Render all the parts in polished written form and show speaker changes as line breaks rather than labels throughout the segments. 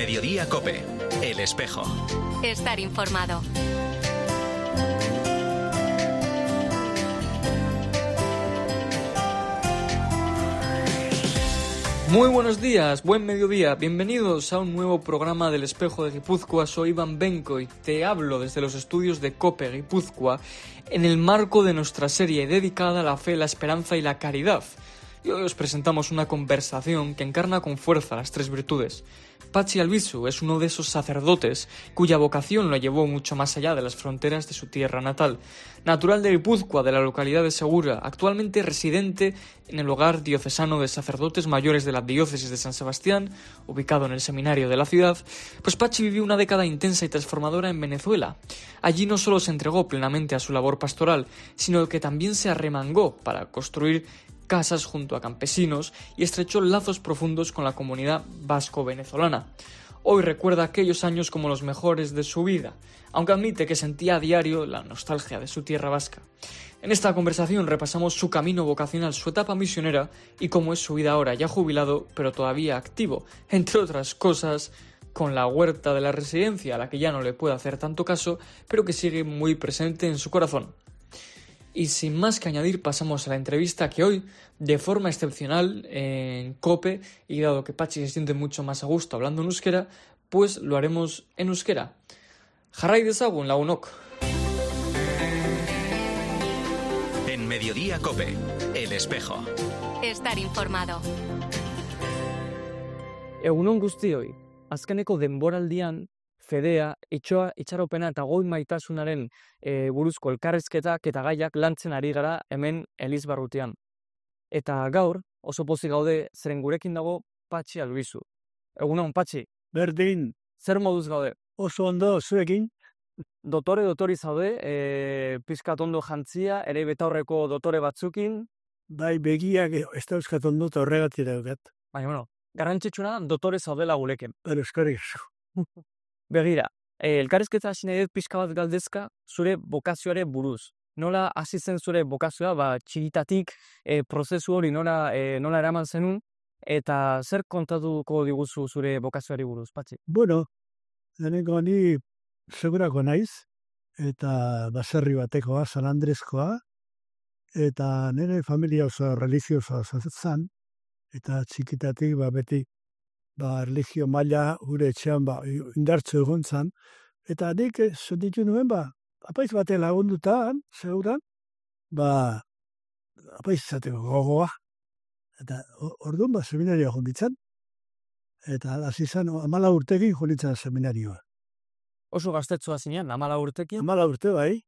Mediodía COPE, El Espejo.
Estar informado.
Muy buenos días, buen mediodía, bienvenidos a un nuevo programa del Espejo de Guipúzcoa. Soy Iván Benco y te hablo desde los estudios de COPE Guipúzcoa en el marco de nuestra serie dedicada a la fe, la esperanza y la caridad. Y hoy os presentamos una conversación que encarna con fuerza las tres virtudes. Patxi Albizu es uno de esos sacerdotes cuya vocación lo llevó mucho más allá de las fronteras de su tierra natal. Natural de Guipúzcoa, de la localidad de Segura, actualmente residente en el hogar diocesano de sacerdotes mayores de la diócesis de San Sebastián, ubicado en el seminario de la ciudad, pues Patxi vivió una década intensa y transformadora en Venezuela. Allí no solo se entregó plenamente a su labor pastoral, sino que también se arremangó para construir casas junto a campesinos y estrechó lazos profundos con la comunidad vasco-venezolana. Hoy recuerda aquellos años como los mejores de su vida, aunque admite que sentía a diario la nostalgia de su tierra vasca. En esta conversación repasamos su camino vocacional, su etapa misionera y cómo es su vida ahora, ya jubilado, pero todavía activo, entre otras cosas, con la huerta de la residencia, a la que ya no le puede hacer tanto caso, pero que sigue muy presente en su corazón. Y sin más que añadir, pasamos a la entrevista que hoy, de forma excepcional, en COPE, y dado que Patxi se siente mucho más a gusto hablando en euskera, pues lo haremos en euskera. Jarrai dezagun, lagunok.
En Mediodía COPE, El Espejo.
Estar informado.
Egunon guztioi, azkeneko denboraldian, Fedea, itxaropena eta goi maitasunaren buruzko elkarrizketak eta gaiak lantzen ari gara hemen Elizbarrutian. Eta gaur, oso pozik gaude, zeren gurekin dago Patxi Albizu. Egunon, Patxi.
Berdin.
Zer moduz gaude?
Oso ondo, zuekin.
Dotori zaude, pizkat ondo jantzia, ere betaurreko dotore batzukin.
Bai, begiak ez dauzkat ondo eta horregatik daukat.
Baina, bueno, garrantzitsuna dotore zaudela guleken.
Eskerrik.
Begira, elkarrizketa hasi nahi dut pixka bat galdezka zure bokazioare buruz. Nola hasi zen zure bokazioa, txikitatik prozesu hori nola eraman zenun, eta zer kontatuko diguzu zure bokazioari buruz, Patxi?
Bueno, deneko ni segurako naiz, eta baserri batekoa, San Andreskoa, eta nire familia oso religiosoa zen, eta txikitatik beti religio maila gure etxean indartzu egon zan, eta nik sentitu nuen apaiz bate lagundutan, seguran, apaiz izateko gogoa. Eta orduan seminario jonditzen, eta hasi zen 14 urtekin jonditzen seminarioa.
Oso gaztetzua zinean, 14 urtekin?
14 urte bai.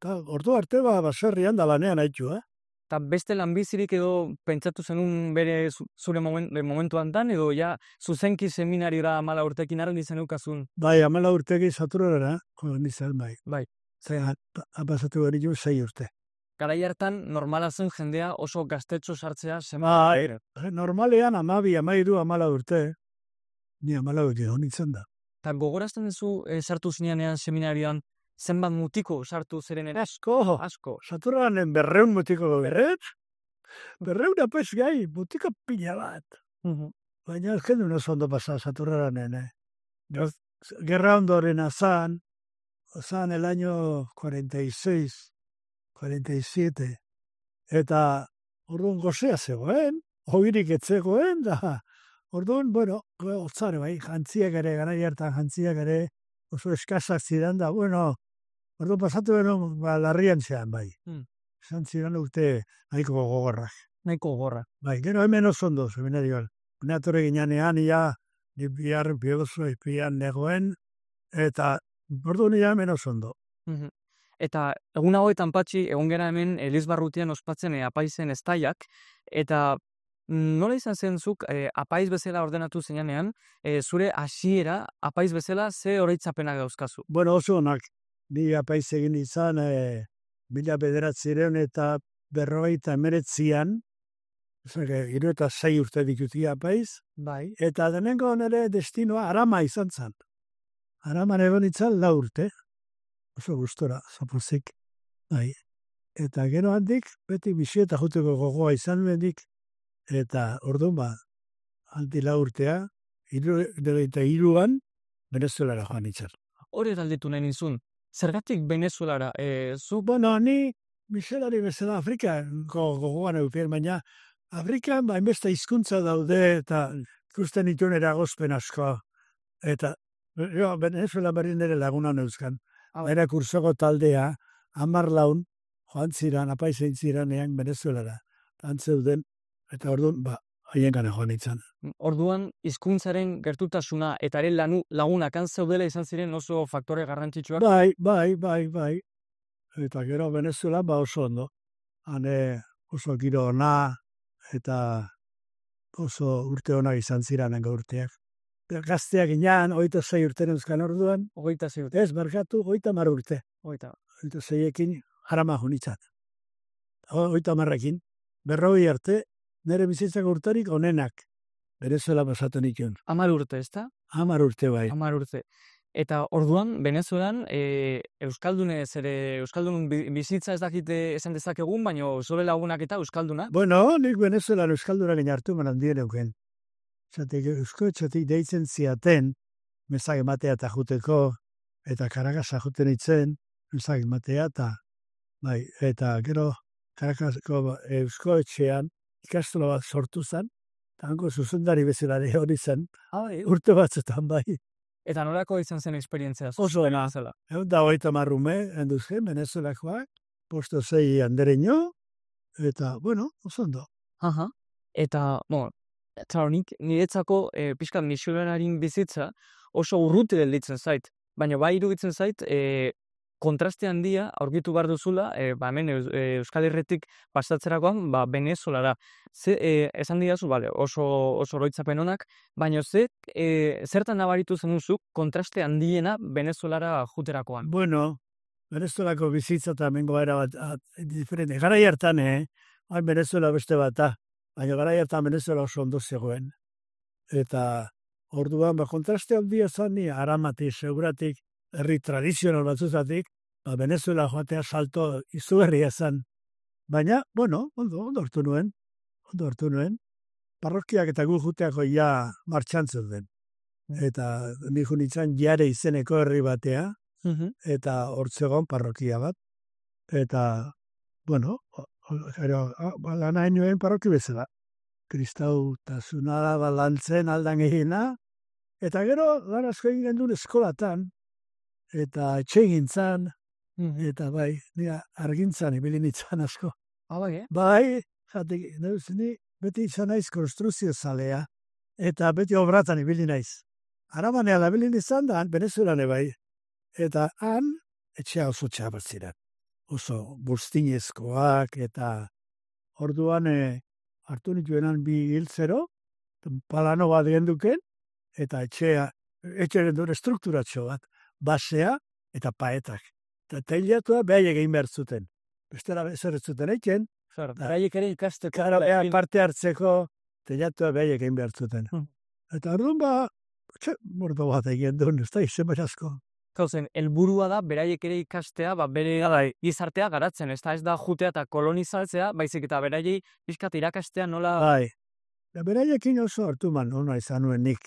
Eta ordu arte baserrian da lanean haitu,
Eta beste lanbizirik edo pentsatu zenun bere zure momentu hantan, edo ja zuzenki seminariora 14 urtekin arren izan eukazun?
Bai, 14 urtekin saturara, nintzen bai.
Bai.
Zena, apasatu gari 6 urte.
Garai hartan normala zen jendea oso gaztetxo sartzea
Bai, normalean 12, 13, 14 urte. Ni 14 urte nintzen da.
Eta gogorazten duzu sartu zinean seminarioan, zenbat mutiko sartu zerenen?
Asko. Saturanen 200 mutiko berret. 200 apaiz gai, mutiko pila bat. Baina jendu oso ondo pasa Saturanen. Gerra ondoren azan el año 46, 47. Eta orduan gozea zegoen, hogirik etzegoen, da orduan, otzare bai, jantziak ere, garai hartan jantziak ere, oso eskasak zidan da, orduan pasatu beno, larrian zean bai. Zan zidan urte nahiko gogorrak.
Nahiko gogorrak.
Bai, gero hemen oso ondo, seminarioan. Neatore ginean, ni biharren piegozu izpian negoen, eta orduan hemen oso ondo.
Eta egun hauetan, Patxi, egon gera hemen Elizbarrutian ospatzen apaizen estaiak, eta nola izan zen zuk apaiz bezala ordenatu zenean, zure hasiera apaiz bezala ze oroitzapenak dauzkazu?
Bueno, oso onak. Ni apaiz egin izan 1900 eta 1949an, 76 urte dituti apaiz,
Bai.
eta denengo nire destinoa Arama izan zen. Araman egon itzan 4 urte. Oso gustora, zapozik. Bai. Eta gero handik, beti bisieta juteko gogoa izan bendik, eta orduan handik 4 urtea, iruan, Venezuelara joan nintzen.
Hori galdetu nahi nizun. Zergatik Venezuelara?
Bueno, ni miselari bezala Afrikako gogoan eukien, baina Afrikan hainbeste hizkuntza daude eta ikusten dituen eragozpen asko. Eta Venezuela berri nire lagunan euskan. Era kursoko taldea, 10 laun, joan ziran, apaizein ziranean Venezuelara. Antzeuden, eta orduan, haien gane joan nintzen.
Orduan, hizkuntzaren gertutasuna eta ere lagunak antzeudela izan ziren oso faktore garrantzitsuak.
Bai. Eta gero Venezuela oso ondo. Hane oso giro ona eta oso urte onak izan ziranengo urteak. Gazteak inan, 26 urte neuzkan orduan.
26 urte.
Ez, barkatu, 30 urte. 26ekin jarama junitzat. 30ekin. 40 arte, nire bizitzako urtarik onenak. Venezuela pasatu nikun.
10 urte, ezta?
10 urte bai.
10 urte. Eta orduan, Venezuelan, Euskaldun bizitza ez dakite esan dezakegun, baina zure lagunak eta Euskalduna?
Bueno, nik Venezuelan Euskaldunak inartu manan dien euken. Zatek, Euskotxotik deitzen ziaten, mesak ematea eta juteko, eta Karakasa juten itzen, mesak ematea eta gero Karakasako Euskotxean ikastola bat sortu zen, eta hanko zuzendari bezalare hori zen, urte batzutan bai.
Eta nolako izan zen esperientzia?
Oso ena. Da 30 ume, enduzken, Venezuelakoak, posto 6 andereño, eta, bueno, oso ondo.
Eta, niretzako pixkat misionarin bizitza oso urruti gelditzen zait. Baina bai iruditzen zait, kontraste handia aurkitu behar duzula, hemen Euskal Herritik pasatzerakoan, Venezuelara. Esan didazu, oso oroitzapen onak, baina zertan nabaritu zenuzuk kontraste handiena Venezuelara juterakoan?
Bueno, Venezuelako bizitza eta mengo era bat diferente. Garai hartan, Venezuela beste bata, baina garai hartan Venezuela oso ondo zegoen. Eta orduan, kontraste handia zani, aramati, seguratik, herri tradizional batzuzatik, Venezuela joatea salto izugarria zen. Baina, bueno, ondo hartu nuen. Parrokiak eta gu juteako ja martxantzen den. Eta niku nintzen Jare izeneko herri batea, eta hortzegon parrokia bat. Eta, bueno, lana nuen parroki bezala. Kristau tasunara balantzen aldan egina, eta gero lan asko egin gendun eskolatan, eta etxe gintzan, eta bai, nire argintzan ibili nintzen asko. Bai, jatik, ni beti izan naiz konstruzio zalea, eta beti obratan ibili naiz. Arabanean ibili nintzen da, Venezuelane bai. Eta han, etxea oso txabat ziren. Oso bustinezkoak, eta orduan hartu nituenan bi hiltzero, palano bat genduken, eta etxearen duen strukturatxo bat, basea eta paetak. Eta teilatua behar egin behar zuten. Bestela zer zuten eiken.
Beraiek ere ikasteko.
Parte hartzeko teilatua behar egin behar zuten. Eta orduan mordo bat egin duen, ez da izen asko.
Gauzen, helburua da, beraiek ere ikastea, bere gizartea garatzen, ez da jutea eta kolonizatzea, baizik eta beraiei pixkat irakastea nola...
Bai, beraiekin oso hartuman ona izan nuen nik.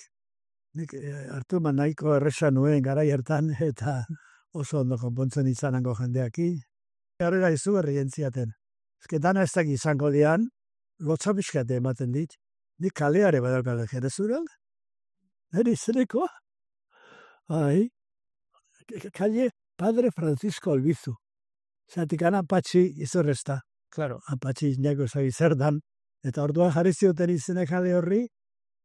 Nik hartuman nahiko erresa nuen garai hartan, eta oso ondo konpontzen izanango jendeaki. Horrela izugarri jentziaten. Ez dana ez dakit izango dian, lotza pixkate ematen dit. Nik kaleare badalkale Venezuelan. Neri izeneko? Bai. Calle Padre Francisco Albizu. Zatik Apatxi izorrezta.
Claro.
Apatxi izango zagi zer dan. Eta orduan jarri zioten izene kale horri,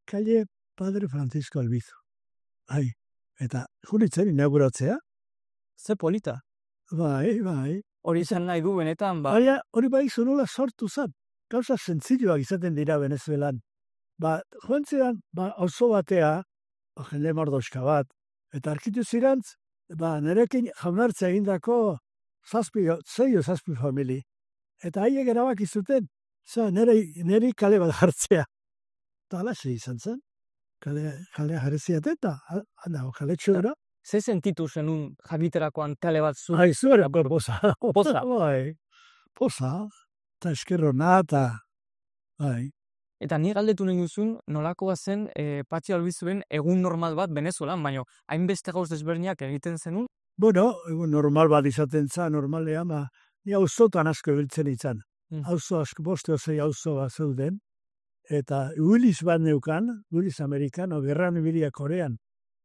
Calle Padre Francisco Albizu. Bai. Eta junitzen inauguratzea.
Ze polita.
Bai.
Hori izan nahi du benetan,
Baina hori bai zunola sortu zan. Gauza zentzilloak izaten dira Venezuelan. Joan zidan, oso batea, jende mordoska bat, eta arkitu zirantz, nerekin jaunartzea egindako 6 famili. Eta haiek erabaki zuten, neri kale bat jartzea. Eta alaxe izan zen. Kalea jarreziat eta, kale txura.
Ze sentitu zenun jakiterakoan kale bat zu?
Zuera, poza.
Poza?
Bai, poza. Eta eskerrona, eta... Bai.
Eta ni galdetu nahi duzun, nolakoa zen Patxi Albizuen egun normal bat Venezuelan, baina hainbeste gauz desberdinak egiten zenun?
Bueno, egun normal bat izaten za, normalean, ni auzotan asko ibiltzen izan. Auzo asko, 5 o 6 auzo bat zeuden, eta Willis bat neukan, Willis Amerikano, gerran ibilia Korean,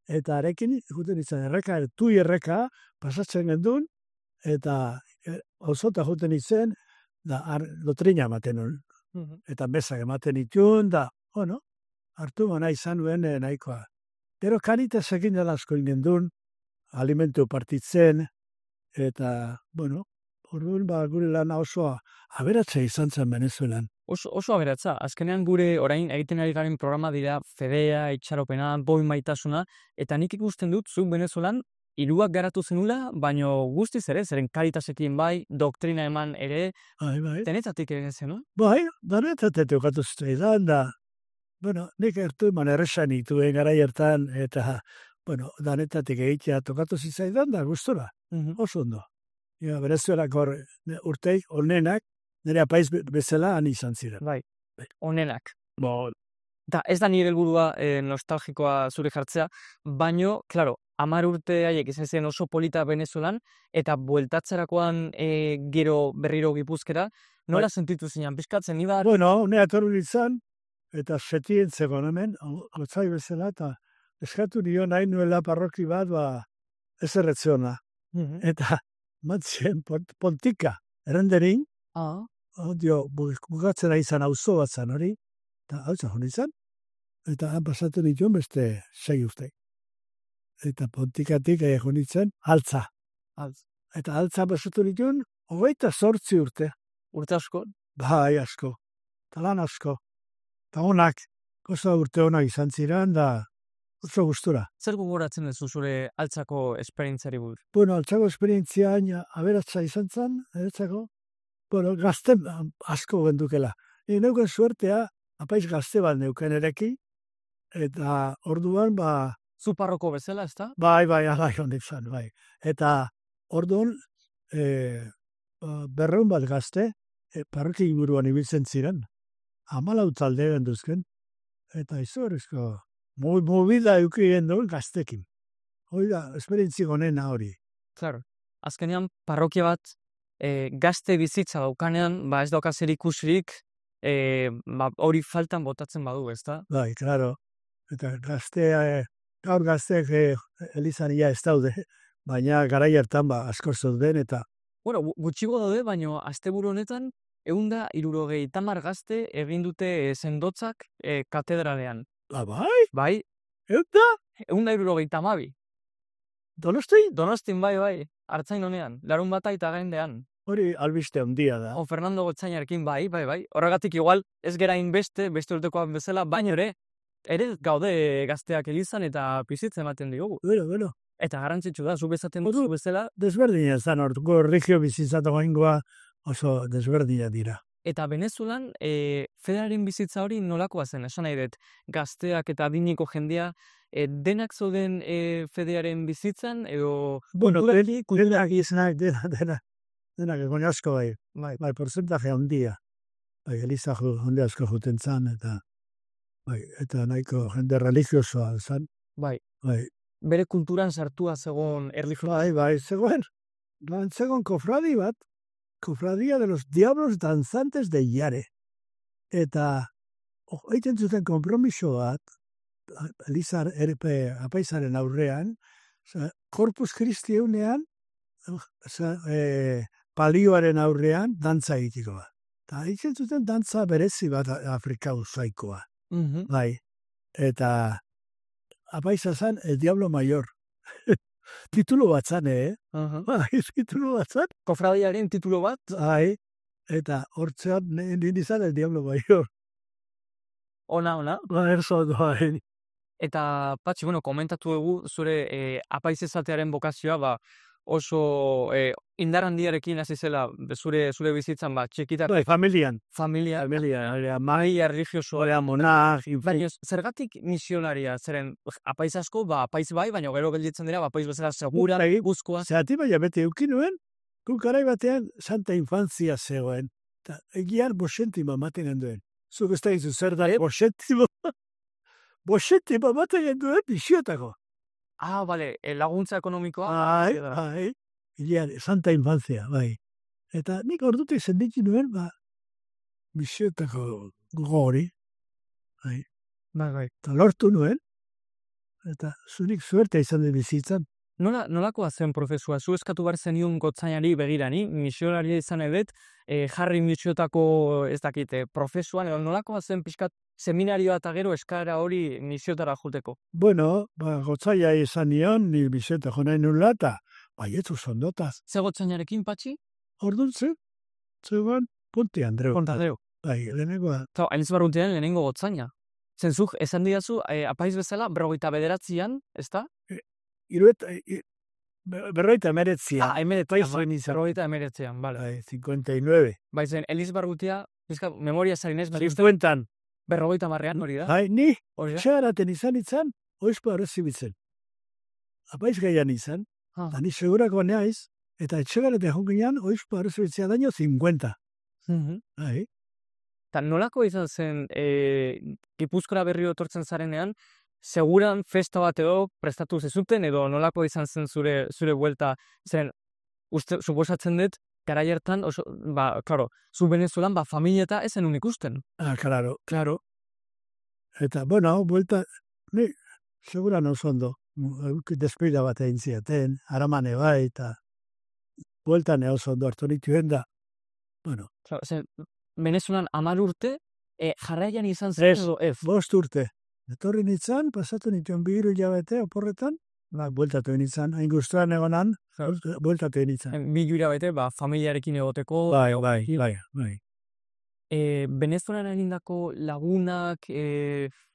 eta arekin, juten izan erreka, tui erreka, pasatzen gendun, eta auzota juten izan, da lotrina ematen hon. Eta bezak ematen itun, da, hartu mana izan duen nahikoa. Pero Caritasekin dela asko gendun, alimentu partitzen, eta, orduan gure lana oso aberatza izan zen Venezuelan.
Oso aberatza. Azkenean gure orain egiten ari garen programa dira fedea, itxaropena, boi maitasuna, eta nik ikusten dut zuk Venezuelan hiruak garatu zenula, baino guztiz ere, zeren Caritasekin bai, doktrina eman ere,
Bai.
denetatik ere zen, no?
Bai, denetatik ukatu zitaidan, da, nik ertu eman erresan ituen gara hartan, eta, denetatik egitea tokatu zitzaidan, da, gustora, oso ondo. Venezuelako urteik, onenak, nire apaiz bezala han izan ziren.
Bai, onenak. Eta ez da nire helburua nostalgikoa zure jartzea, baino, klaro, 10 urte haiek izan ziren oso polita Venezuelan, eta bueltatzerakoan gero berriro Gipuzkera, nola sentitu zinean, pizkatzen ibar?
Nire atorru izan, eta setien zegoen hemen, gotzai bezala, eta eskatu nio nahi nuela parroki bat, ez erretzeona. Eta matzien pontika, errenderin, bukatzen ari izan auzo bat zan hori, eta hau zan izan, eta han pasatu dituen beste 6 urte. Eta pontikatik egon ditzen, altza. Eta altza pasatu dituen, 28 urte.
Urte asko?
Bai, asko. Talan asko. Eta honak, oso urte honak izan ziren, da oso gustura.
Zer gogoratzen duzu zure altzako esperientziari buruz?
Altzako esperientzia aberatza izan zen, gazte asko gendukela. Neuken suertea, apaiz gazte bat neuken ereki, eta orduan,
Zu parroko bezala, ez da?
Bai, honik zan, bai. Eta orduan, 200 bat gazte, parroki inguruan ibiltzen ziren, 14 talde genduzken, eta izugarrizko, movida eukien duen gaztekin. Hori da, esperientzi gonena hori.
Claro, azkenean parrokia bat gazte bizitza daukanean, ez dauka zer ikusirik, hori faltan botatzen badu, ez da?
Bai, claro. Eta gaur gazteak elizan ia ez daude, baina garai hartan asko zeuden eta...
Gutxigo daude, baina asteburu honetan, 170 gazte egin dute sendotzak katedralean.
Bai?
Bai. 172.
Donostin?
Donostin, bai. Artzain honean, larun bata eta gaindean.
Hori albiste handia da.
Fernando Gotzainarekin, bai. Horregatik igual, ez gerain beste urtekoan bezala, baina ere gaude gazteak elizan eta pizitzen ematen diogu.
Bueno.
Eta garrantzitsu da, zu bezaten duzu bezala.
Desberdina zan, orduko regio bizitzatu gaingoa oso desberdina dira.
Eta Venezuelan, fedearen bizitza hori nolakoa zen, esan nahi dut, gazteak eta adiniko jendea, denak zoden fedearen bizitzan, edo...
Denak izanak, denak egon asko bai. Bai, porcentaje handia. Bai, eliza jende asko juten zan, eta nahiko jende religiosoa zan.
Bai. Bere kulturan sartua zegoen erlijioa.
Bai, zegoen kofradi bat, Cofradía de los Diablos Danzantes de Yare. Eta, egiten zuten kompromiso bat, Elizar apaizaren aurrean, Corpus Christi eunean, palioaren aurrean, dantza egitiko bat. Eta egiten zuten dantza berezi bat Afrika usaikoa. Bai. Eta, apaiza zan, El Diablo Mayor. Titulo bat zan, titulo bat zan.
Kofradiaren titulo bat?
Bai, eta hortzean nindizan El Diablo Mayor.
Ona.
Erzo doain.
Eta, Patxi, komentatu dugu zure apaiz ezatearen bokazioa, oso indar handiarekin hasi zela zure bizitzan, txikitar.
Bai, familian.
Familia,
magia religiosoa, monak.
Baina, zergatik misionaria, zeren apaiz asko, apaiz bai, baina gero gelditzen dira, apaiz bezala segura, guzkoa.
Zerati baina bete eukinuen, garai batean santa infantzia zegoen. Eta egian 5 maten handuen. Zuk ez da izu zer da, bosetimo bat egin duen bisiotako.
Bale, laguntza ekonomikoa.
Bai. Ilean, santa infancia, bai. Eta nik ordutik zenditu nuen, bisiotako gori. Bai.
Bai.
Eta lortu nuen, eta zurik suertea izan den bizitzan.
Nolakoa zen prozesua? Zu eskatu behar zenion gotzainari begirani, misionaria izan edet, jarri misiotako ez dakite, prozesuan, nolakoa zen pixkat seminarioa eta gero eskara hori misiotara juteko?
Bueno, gotzaia izan nion, ni misiota jonain nula, eta baietzu sondotaz.
Ze gotzainarekin, Patxi?
Orduan zegoen Ponte Andreu. Bai, lehenengoa.
Hainitz barruntean lehenengo gotzaina. Zenzuk, esan didazu, apaiz bezala, 49an, ez da?
Berroita emeretzian.
Berroita emeretzian, bale.
Bai, 59.
Bai, zen, Eliz Barrutia, memoria zarinez,
50.
Berroita marrean hori da?
Bai, ni, txagaraten izan, oizpo arrezibitzen. Apaiz gaian izan, da ni segurako neaiz, eta etxegaraten jongian, oizpo arrezibitzea daño 50. Bai.
Eta nolako izan zen, Gipuzkoara berriro etortzen zarenean, seguran festa bat edo prestatu zezuten, edo nolako izan zen zure buelta, zen, suposatzen dut, garai hartan, klaro, zu Venezuelan, familia eta ezen unik usten.
Claro. Eta, bueno, buelta, ni, seguran oso ondo, despida bat egin ziaten, aramane bai, eta bueltan oso ondo hartu nituen da, bueno.
Claro, zen, Venezuelan 10 urte, jarraian izan zen edo ez?
5 urte. Etorri nintzen, pasatu nituen 2 hilabete oporretan, bueltatu nintzen, hain guztuan egonan, bueltatu nintzen.
2 hilabete, familiarekin egoteko.
Bai.
Venezuelan egindako lagunak,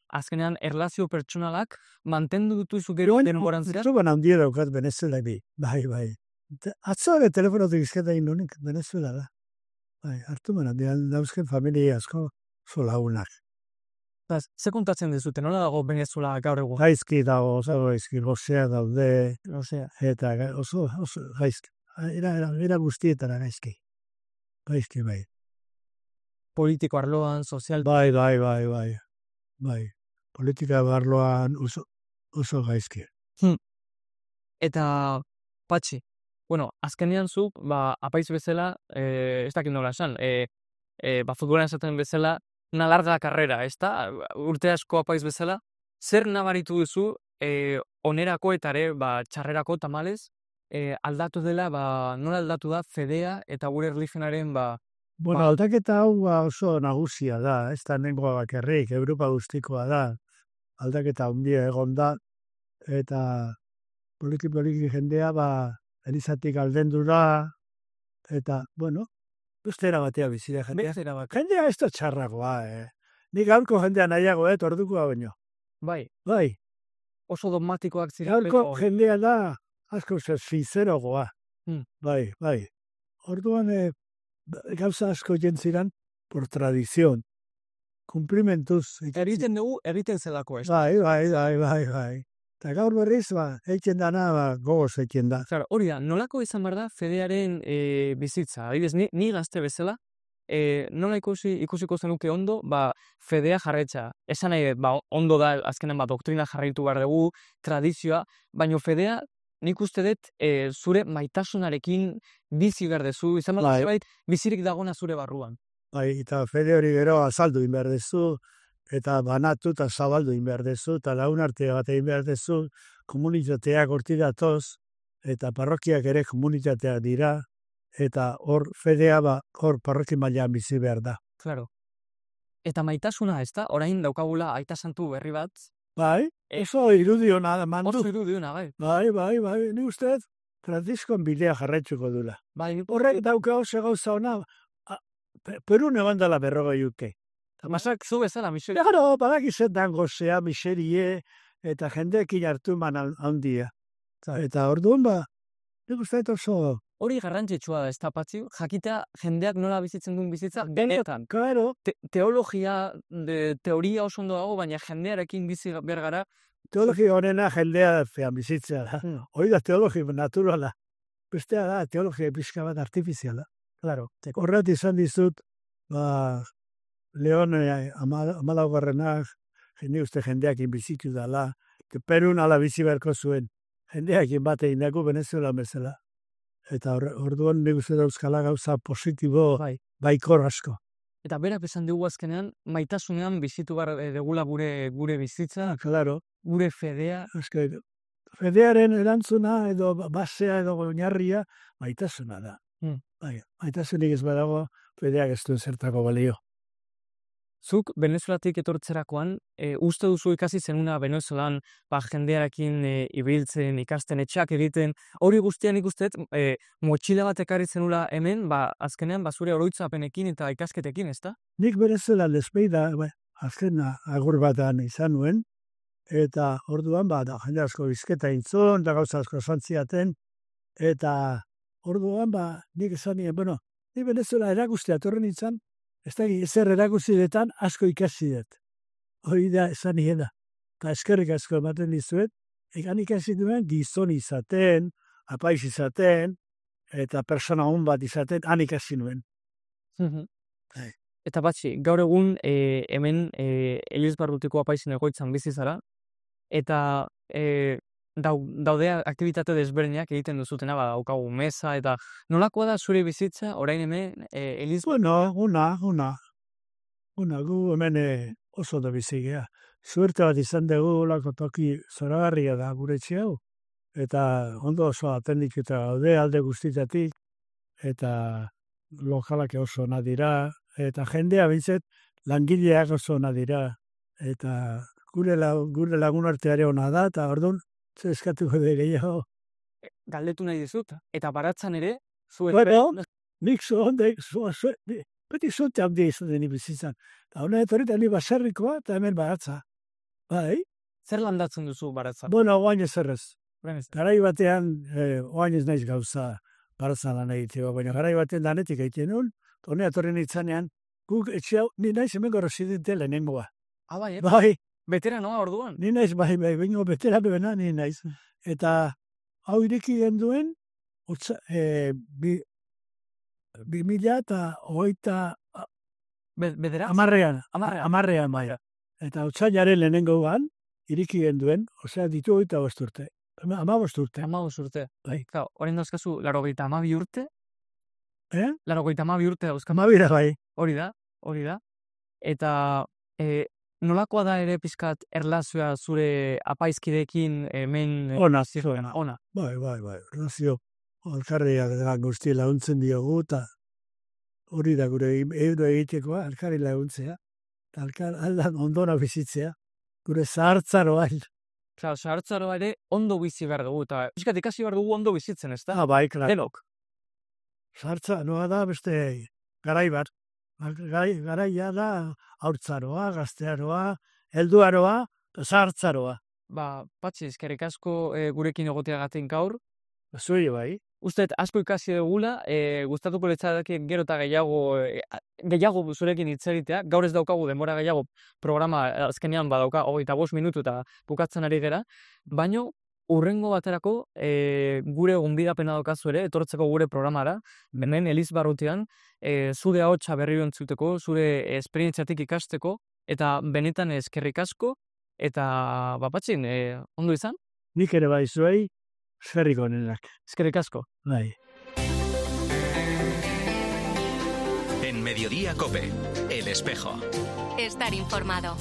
azkenean erlazio pertsonalak, mantendu dutuzu gero denboran zera?
Zuban handia daukat Venezuela bi, bai. Atzoare telefonotik izketa indonik, Venezuela da. Bai, hartu mena, dauzken familia asko oso lagunak.
Ze kontatzen dezute, nola dago Venezuela gaur egun?
Gaizki dago, oso gaizki, gozea daude, eta oso gaizki. Era guztietara gaizki. Gaizki, bai.
Politiko arloan, sozial...
Bai. Politika arloan oso gaizki.
Eta, Patxi, azkenean zu, apaiz bezala, ez dakit nola esan, futbolan esaten bezala, una larga carrera, ez da? Urte asko apaiz bezala, zer nabaritu duzu, onerako eta ere, txarrerako tamalez, aldatu dela, nola aldatu da fedea eta gure erlijionaren,
Bueno, aldaketa hau oso nagusia da, ez da nengoa bakarrik, Europa guztikoa da, aldaketa handia egon da, eta poliki jendea, elizatik aldendu da, eta, bueno, beste erabatea bizira jendea. Jendea ez da txarragoa, Nik gaurko jendea nahiago, ordukoa baino. Bai.
Oso dogmatikoak zira.
Gaurko jendea da, asko sincerogoa. Bai. Orduan, gauza asko jentziran, por tradizion. Cumplimentuz.
Eriten dugu, eriten zelako, ez?
Bai. Eta gaur berriz, eitzen dana, gogoz eitzen da.
Hori da, nolako izan behar da fedearen bizitza? Adibidez, ni gazte bezala, nola ikusiko zenuke ondo, fedea jarretxa. Esan nahi, ondo da, azkenen doktrina jarraitu behar dugu, tradizioa, baina fedea, nik uste dut, zure maitasunarekin bizi behar dezu, izan behar zait, bizirik dagona zure barruan.
Bai, eta fede hori gero azaldu behar dezu, eta banatu eta zabaldu behar dezu, eta lagunartea bat egin behar dezu, komunitateak horti datoz, eta parrokiak ere komunitateak dira, eta hor fedea hor parroki mailan bizi behar da.
Claro. Eta maitasuna, ez da? Orain daukagula aita santu berri bat.
Bai, oso irudiona da mandu.
Oso irudiona, bai.
Bai, ni uste, Franciscoen bidea jarraitzuko dula. Horrek dauka oso gauza ona, Perun egon dela 40 urte.
Masak zu bezala, miseria.
Claro, badakizetan gozea, miserie, eta jendeekin hartu handia. Eta orduan, nik uste oso...
Hori garrantzitsua da, ez da, Patxi, jakitea jendeak nola bizitzen duen bizitza, benetan.
Claro.
Teoria oso ondo dago, baina jendearekin bizi behar gara.
Teologia honena jendea fean bizitzea da. Hori da teologia naturala. Bestea da, teologia pixka bat artifiziala.
Claro.
Horret izan dizut, Leon amalaugarrenak, jendeak bizitu dala, Perun ala bizi beharko zuen. Jendeak batein dago Venezuela bezala. Eta orduan nik uste dauzkala gauza positibo baikor asko.
Eta berak esan dugu azkenean, maitasunean bizitu behar degula gure bizitza,
Claro.
gure fedea.
Fedearen erantzuna edo basea edo oinarria maitasuna da. Maitasunik ez badago, fedeak ez duen zertako balio.
Zuk Venezuelatik etortzerakoan, uste duzu ikasi zenuna Venezuelan jendearekin ibiltzen, ikasten, etxeak egiten, hori guztian ikustet, motxila bat ekarri zenula hemen, azkenean zure oroitzapenekin eta ikasketekin, ezta?
Nik Venezuela despeida, azken agur batan izan nuen, eta orduan jende asko bizketa intzon, da gauza asko santziaten, eta orduan nik esan nien, ni Venezuela erakustea torren izan, ez da ezer erakuzidetan asko ikasi dut. Hori da esan nien da. Eta eskerrik asko ematen dizuet, egan ikasi duen gizon izaten, apaiz izaten, eta persona hon bat izaten, han ikasi nuen.
Eta batxi, gaur egun hemen Elizbarrutiko apaizen egoitzan bizi zara, eta daude aktibitate desberdinak egiten duzutena, daukagu meza, eta nolakoa da zure bizitza, orain hemen
Bueno, gu hemen oso da bizigea. Suerte bat izan dugu lako toki zoragarria da gure hau, eta ondo oso atendik eta gaude alde guztitatik, eta lokalak oso ona dira, eta jendea bintzet langileak oso ona dira, eta gure lagun arteare ona da, eta orduan, eskatuko da gehiago.
Galdetu nahi dizut, eta baratzan ere,
Nik beti zuente handia izan deni bizitzan. Eta hona etorita ni baserrikoa eta hemen baratza. Bai?
Zer landatzen duzu baratzan?
Bueno, oain ez errez. Garai batean, oain ez naiz gauza baratzan lan egiteko, baina garai batean danetik egiten nuen, hona etorri nintzanean, guk etxea, ni naiz hemen residente lehenengoa.
Bai, veteranoa orduan?
Ni naiz, bai, bingo veteranoena, ni naiz. Eta hau ireki genduen, 2008 amarrean bai. Eta otsailaren lehenengoan, iriki genduen, osea ditu 25 urte. 15 urte.
15 urte.
Bai.
Horren dauzkazu, 82 urte? 82 urte dauzkazu.
12 bai.
Hori da. Eta nolakoa da ere pizkat erlazioa zure apaizkidekin hemen?
Ona. Bai. Erlazio alkarriak guzti laguntzen diogu, eta hori da gure euro egitekoa, alkarri laguntzea, aldan ondona bizitzea, gure zahartzaroa.
Zahartzaroa ere ondo bizi behar dugu, eta pizkat ikasi behar dugu ondo bizitzen, ez da?
Bai, klar.
Denok.
Zahartzaroa da beste garai bat. Garaia da haurtzaroa, gaztearoa, helduaroa, zahartzaroa.
Patxi, eskerrik asko gurekin egoteagatik gaur.
Zuri bai.
Usted asko ikasi dugula, gustatuko litzateke gero eta gehiago zurekin hitz egitea. Gaur ez daukagu denbora gehiago programa azkenean badauka 25 minutu eta bukatzen ari gera, baino urrengo baterako gure gonbidapena daukazu ere, etortzeko gure programara, hemen Elizbarrutian, zure ahotsa berriro entzuteko, zure esperientziatik ikasteko, eta benetan eskerrik asko, eta Patxin, ondo izan?
Nik ere bai zuei, eskerrik onenak.
Eskerrik asko.
Bai.
En Mediodía COPE, El Espejo.
Estar informado.